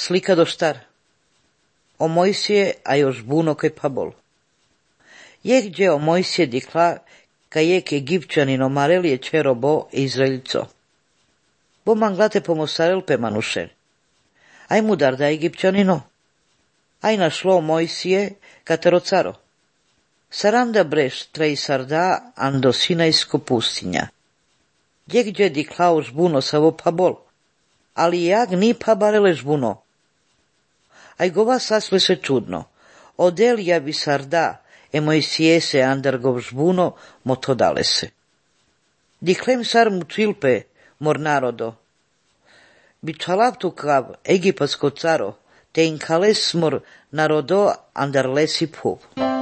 Slika do štar. O Mojsije, a još buno kaj pabol. Jeh gdje o Mojsije dikla, kaj jek Egipćanino marelije čerobo Izraelco. Bo manglate pomosarel pe manušer. Aj mu dar da Egipćanino. Aj našlo Mojsije katero caro. Saranda breš trej sarda ando Sinajsko pustinja. Jeh gdje dikla už buno savo pabol. Ali jak ni pabarele žbuno. Aj gova sasle se čudno. Odel ja bi sarda, e Mojsijese andargov žbuno, mo to dale se. Diklem sar mu tvilpe, mor narodo. Bi čalaptu kav egipatsko caro, te in kales mor narodo andar lesi pup.